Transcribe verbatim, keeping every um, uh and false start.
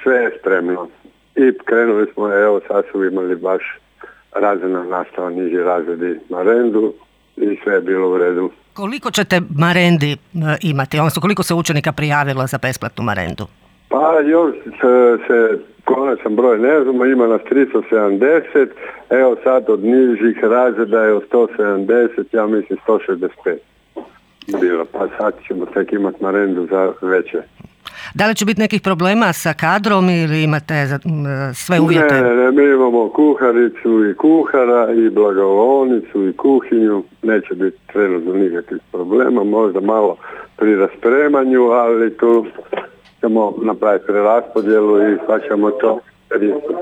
sve je spremno. I krenuli smo, evo sad su imali baš razredna nastava, niži razredi marendu i sve je bilo u redu. Koliko ćete marendi imati, odnosno koliko se učenika prijavilo za besplatnu marendu? Pa još se, se konačan broj ne znamo, ima nas tristo sedamdeset, evo sad od nižih razreda je od sto sedamdeset, ja mislim sto šezdeset pet bilo, pa sad ćemo tek imati marendu za veće. Da li će biti nekih problema sa kadrom ili imate sve uvjete? Ne, ne, mi imamo kuharicu i kuhara i blagovolnicu i kuhinju, neće biti trenutno nikakvih problema, možda malo pri raspremanju, ali tu ćemo napraviti preraspodjelu i pa ćemo to riješiti.